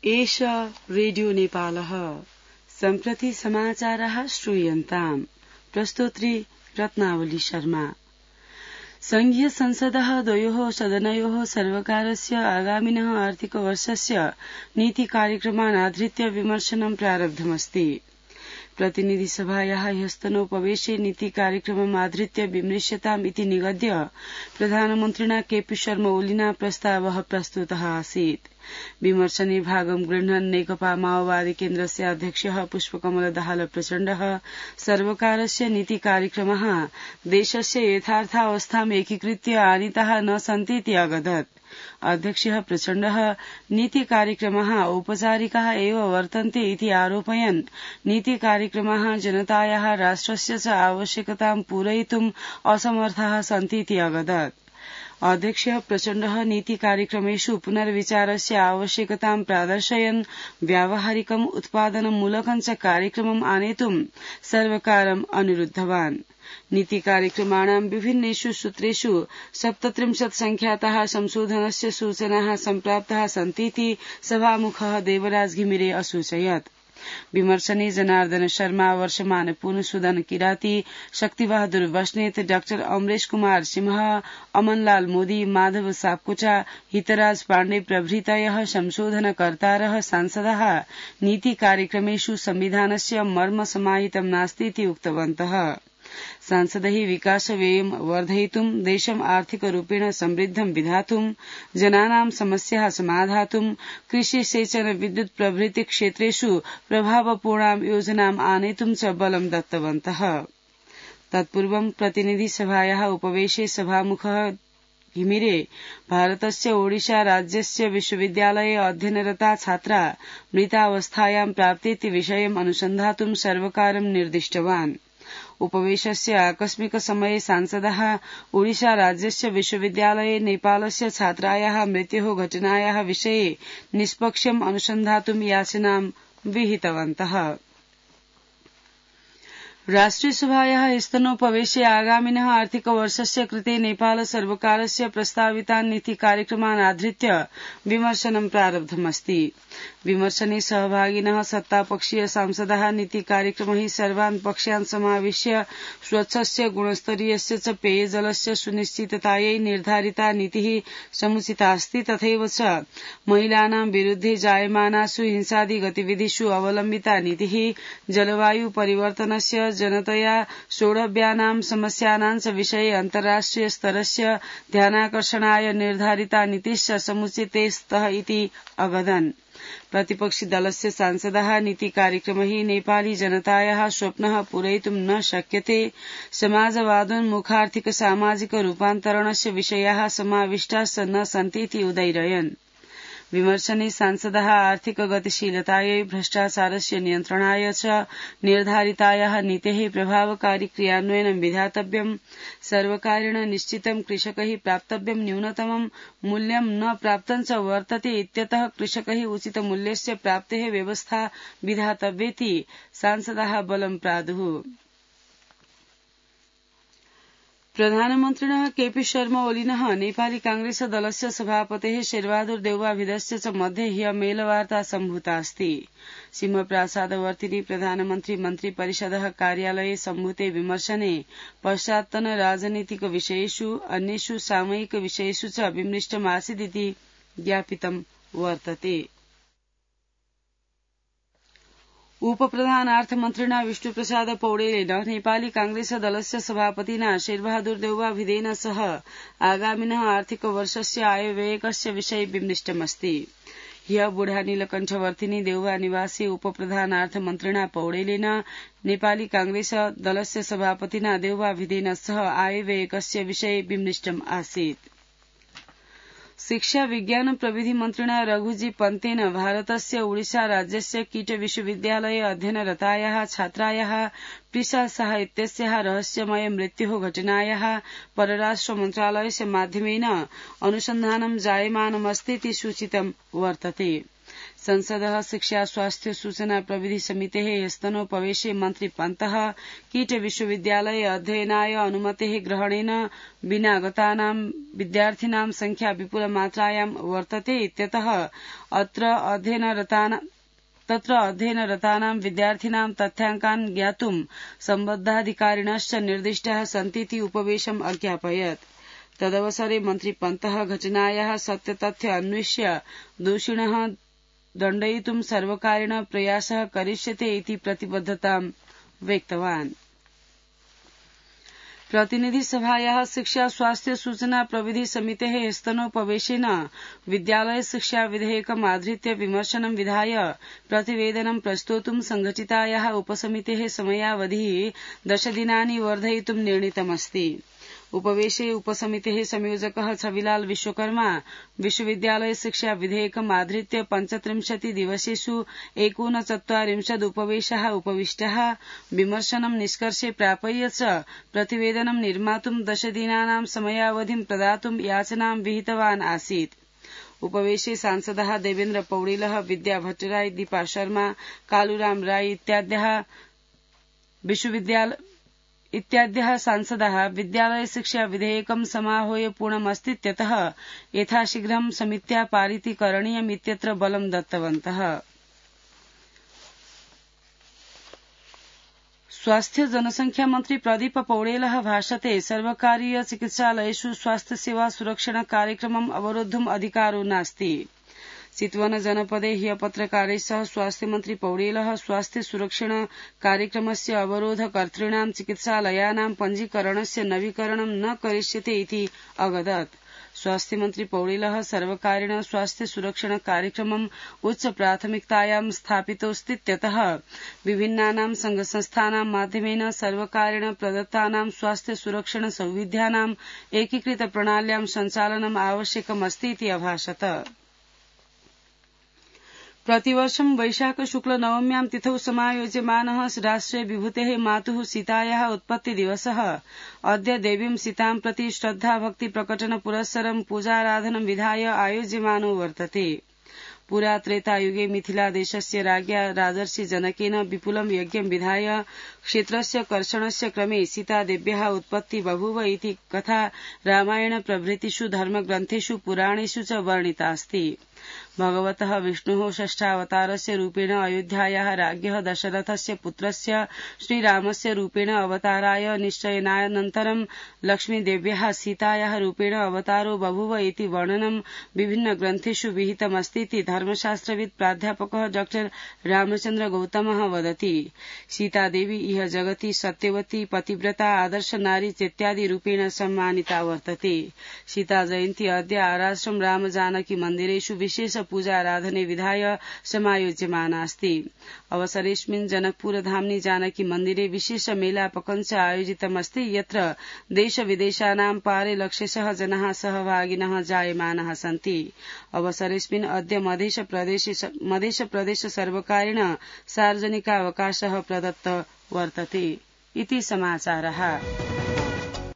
एष रेडियो नेपालः सम्प्रति समाचारः श्रूयन्ताम्। प्रस्तोत्री रत्नावली शर्मा। संघीय संसदः द्वयोः सदनयोः सर्वकारस्य आगामिनः आर्थिकवर्षस्य नीति कार्यक्रमान् आधृत्य विमर्शनं प्रारब्धमस्ति। प्रतिनिधिसभायाः ह्यस्तनोपवेशे नीति कार्यक्रमम् आधृत्य विमृश्यताम् इति निगद्य प्रधानमन्त्रिणा केपी शर्मा ओलिना प्रस्तावः प्रस्तुतः आसीत्। विमर्शने भागं गृह्णन् नेकपा माओवादी केन्द्रस्य अध्यक्षः पुष्पकमल दाहाल प्रचण्डः सर्वकारस्य नीति कार्यक्रमः देशस्य यथार्थावस्थाम् एकीकृत्य आनीताः न सन्तीति अगदत्। अध्यक्षः प्रचण्डः नीति कार्यक्रमः औपचारिकाः एव वर्तन्ते इति आरोपयन् नीति कार्यक्रमः जनतायाः राष्ट्रस्य च आवश्यकतां पूरयितुम् असमर्थाः सन्तीति अगदत्। अध्यक्षः प्रचण्डः नीति कार्यक्रमेषु पुनर्विचारस्य आवश्यकतां प्रादर्शयन् व्यावहारिकम् उत्पादनमूलकं च कार्यक्रमम् आनेतुं सर्वकारम् अनुरुद्धवान्। नीति कार्यक्रमाणां विभिन्नेषु सूत्रेषु 37 संख्याताः संशोधनस्य सूचनाः सम्प्राप्ताः सन्तीति सभामुखः देवराज घिमिरे असूचयत्। विमर्शने जनार्दन शर्मा, वर्षमान पूर्णसूदन किराती, शक्तिबहादुर बस्नेत, डाक्टर अमरेश कुमार सिंह, अमनलाल मोदी, माधव सापकोटा, हितराज पाण्डे प्रभृतयः संशोधनकर्तारः सांसदाः नीति कार्यक्रमेषु संविधानस्य मर्म समाहितं नास्तीति उक्तवन्तः। सांसदैः विकासव्ययं वर्धयितुं, देशम् आर्थिकरूपेण समृद्धं विधातुं, जनानां समस्याः समाधातुं, कृषि, सेचन, विद्युत् प्रभृति क्षेत्रेषु प्रभावपूर्णां योजनाम् आनेतुं च बलं दत्तवन्तः। तत्पूर्वं प्रतिनिधिसभायाः उपवेशे सभामुखः घिमिरे भारतस्य ओडिशा राज्यस्य विश्वविद्यालये अध्ययनरता छात्रा मृतावस्थायां प्राप्तेति विषयम् अनुसन्धातुं सर्वकारं निर्दिष्टवान्। उपवेशस्य आकस्मिक समये सांसदाः ओडिशा राज्यस्य विश्वविद्यालये नेपालस्य छात्रायाः मृत्योः घटनायाः विषये निष्पक्षम् अनुसन्धातुं याचनां विहितवन्तः। राष्ट्रियसभायाः स्तनोपवेशे आगामिनः आर्थिकवर्षस्य कृते नेपाल सर्वकारस्य प्रस्तावितान् नीति कार्यक्रमान् आधृत्य विमर्शनं प्रारब्धमस्ति। विमर्शने सहभागिनः सत्तापक्षीय सांसदाः नीति कार्यक्रमैः सर्वान् पक्षान् समाविश्य स्वच्छस्य, गुणस्तरीयस्य च पेयजलस्य सुनिश्चिततायै निर्धारिता नीतिः समुचिता अस्ति। तथैव च महिलानां विरुद्धे जायमानासु हिंसादि गतिविधिषु अवलम्बिता नीतिः जलवायु परिवर्तनस्य, जनतया सोढव्यानां समस्यानां च विषये अन्ताराष्ट्रिय स्तरस्य ध्यानाकर्षणाय निर्धारिता नीतिश्च समुचिते स्तः इति अगदन्। प्रतिपक्षी दलस्य सांसदाः नीति कार्यक्रमैः नेपाली जनतायाः स्वप्नः पूरयितुं न शक्यते, समाजवादोन्मुखार्थिक सामाजिक रूपान्तरणस्य विषयाः समाविष्टाश्च न सन्तीति उदैरयन्। विमर्शने सांसदाः आर्थिक गतिशीलतायै, भ्रष्टाचारस्य नियन्त्रणाय च निर्धारितायाः नीतेः प्रभावकारी क्रियान्वयनं विधातव्यम्, सर्वकारेण निश्चितं कृषकैः प्राप्तव्यं न्यूनतमं मूल्यं न प्राप्तं च वर्तते इत्यतः कृषकैः उचितमूल्यस्य प्राप्तेः व्यवस्था विधातव्येति सांसदाः बलं प्रादुः। प्रधानमन्त्रिणः केपी शर्मा ओलिनः नेपाली कांग्रेस दलस्य सभापतेः शेरबहादुर देउवाभिधस्य च मध्ये ह्य मेलवार्ता सम्भूता अस्ति। सिंहप्रासादवर्तिनि प्रधानमन्त्री मन्त्री परिषदः कार्यालये सम्भूते विमर्शने पश्चात्तन राजनीतिक विषयेषु अन्येषु सामयिक विषयेषु च विमृष्टमासीदिति ज्ञापितं वर्तते। उपप्रधानार्थमन्त्रिणा विष्णुप्रसाद पौडेलेन नेपाली कांग्रेस दलस्य सभापतिना शेरबहादुर देउवाभिधेन सह आगामिनः आर्थिकवर्षस्य आयव्ययकस्य विषये विमृष्टमस्ति। ह्य बुढा नीलकण्ठवर्तिनि देउवा निवासे उपप्रधानार्थमन्त्रिणा पौडेलेन नेपाली कांग्रेस दलस्य सभापतिना देउवाभिधेन सह आयव्ययकस्य विषये विमृष्टम् आसीत्। शिक्षा विज्ञान प्रविधि मन्त्रिणा रघुजी पन्तेन भारतस्य ओडिशा राज्यस्य कीट विश्वविद्यालये अध्ययनरतायाः छात्रायाः प्रिसा शाह इत्यस्याः रहस्यमय मृत्योः घटनायाः परराष्ट्र मन्त्रालयस्य माध्यमेन अनुसन्धानं जायमानमस्तीति सूचितं वर्तते। संसदः शिक्षा स्वास्थ्य सूचना प्रविधि समितेः ह्यस्तनोपवेशे मन्त्री पन्तः कीट विश्वविद्यालये अध्ययनाय अनुमतेः ग्रहणेन विना गतानां विद्यार्थिनां संख्या विपुलमात्रायां वर्तते इत्यतः तत्र अध्ययनरतानां विद्यार्थिनां तथ्याङ्कान् ज्ञातुं सम्बद्धाधिकारिणश्च निर्दिष्टाः सन्तीति उपवेशम् अज्ञापयत्। तदवसरे मन्त्री पन्तः घटनायाः सत्यतथ्य अन्विष्य दोषिणः दण्डयितुं सर्वकारेण प्रयासः करिष्यते इति प्रतिबद्धतां व्यक्तवान्। प्रतिनिधि सभायाः शिक्षा स्वास्थ्य सूचना प्रविधि समितेः स्तनोपवेशेन विद्यालय शिक्षा विधेयकम् आधृत्य विमर्शनं विधाय प्रतिवेदनं प्रस्तोतुं संघटितायाः उपसमितेः समयावधिः 10 दिनानि वर्धयितुं निर्णीतमस्ति। उपवेशे उपसमितेः संयोजकः छविलाल विश्वकर्मा विश्वविद्यालय शिक्षा विधेयकम् आधृत्य 35 दिवसेषु 39 उपवेशाः उपविष्टाः विमर्शनं निष्कर्षे प्रापय्य च प्रतिवेदनं निर्मातुं 10 दिनानां समयावधिं प्रदातुं याचनां विहितवान् आसीत्। उपवेशे सांसदः देवेन्द्र पौडेलः विद्या भट्टराई दीपा शर्मा कालूराम राय इत्याद्यः सांसदाः विद्यालय शिक्षा विधेयकं समाहूय पूर्णमस्तीत्यतः यथाशीघ्रं समित्या पारिति करणीयम् इत्यत्र बलं दत्तवन्तः। स्वास्थ्य जनसंख्या मन्त्री प्रदीप पौडेलः भाषते सर्वकारीय चिकित्सालयेषु स्वास्थ्य सेवा सुरक्षण कार्यक्रमम् अवरोद्धुम् अधिकारो नास्ति। चितवन जनपदे ह्य पत्रकारैः सह स्वास्थ्य मन्त्री पौडेलः स्वास्थ्य सुरक्षण कार्यक्रमस्य अवरोधकर्तॄणां चिकित्सालयानां पञ्जीकरणस्य नवीकरणं न करिष्यते इति अवदत्। स्वास्थ्य मन्त्री पौडेलः सर्वकारेण स्वास्थ्य सुरक्षण कार्यक्रमम् उच्च प्राथमिकतायां स्थापितोऽस्तीत्यतः विभिन्नानां संघसंस्थानां माध्यमेन सर्वकारेण प्रदत्तानां स्वास्थ्य सुरक्षण सौविध्यानां एकीकृत प्रणाल्यां सञ्चालनम् आवश्यकमस्ति इति अभाषत। प्रतिवर्षं वैशाख शुक्ल नवम्यां तिथौ समायोज्यमानः राष्ट्रिय विभूतेः मातुः सीतायाः उत्पत्तिदिवसः अद्य देवीं सीतां प्रति श्रद्धा भक्ति प्रकटन पुरस्सरं पूजाराधनं विधाय आयोज्यमानो वर्तते। पुरा त्रेतायुगे मिथिलादेशस्य राज्ञा राजर्षि जनकेन विपुलं यज्ञं विधाय क्षेत्रस्य कर्षणस्य क्रमे सीतादेव्याः उत्पत्ति बभूव इति कथा रामायण प्रभृतिषु धर्मग्रन्थेषु पुराणेषु च वर्णितास्ति। भगवतः विष्णोः षष्ठावतारस्य रूपेण अयोध्यायाः राज्ञः दशरथस्य पुत्रस्य श्रीरामस्य रूपेण अवताराय निश्चयनानन्तरं लक्ष्मीदेव्याः सीतायाः रूपेण अवतारो बभूव इति वर्णनं विभिन्नग्रन्थेषु विहितमस्तीति धर्मशास्त्रविद् प्राध्यापकः डॉ रामचन्द्र गौतमः वदति। सीतादेवी इह जगति सत्यवती पतिव्रता आदर्श नारी चेत्यादि रूपेण सम्मानिता वर्तते। सीता जयन्ती अद्य आराश्रम राम जानकी मन्दिरेषु विशेष पूजाराधने विधाय समायोज्यमानास्ति। अवसरेऽस्मिन् जनकपुरधाम्नि जानकी मन्दिरे विशेष मेलापकञ्च आयोजितमस्ति यत्र देश विदेशानां पारे लक्षशः जनाः सहभागिनः जायमानाः सन्ति। अवसरेऽस्मिन् अद्य मध्यप्रदेश सर्वकारेण सार्वजनिकावकाशः प्रदत्त वर्तते इति समाचारः।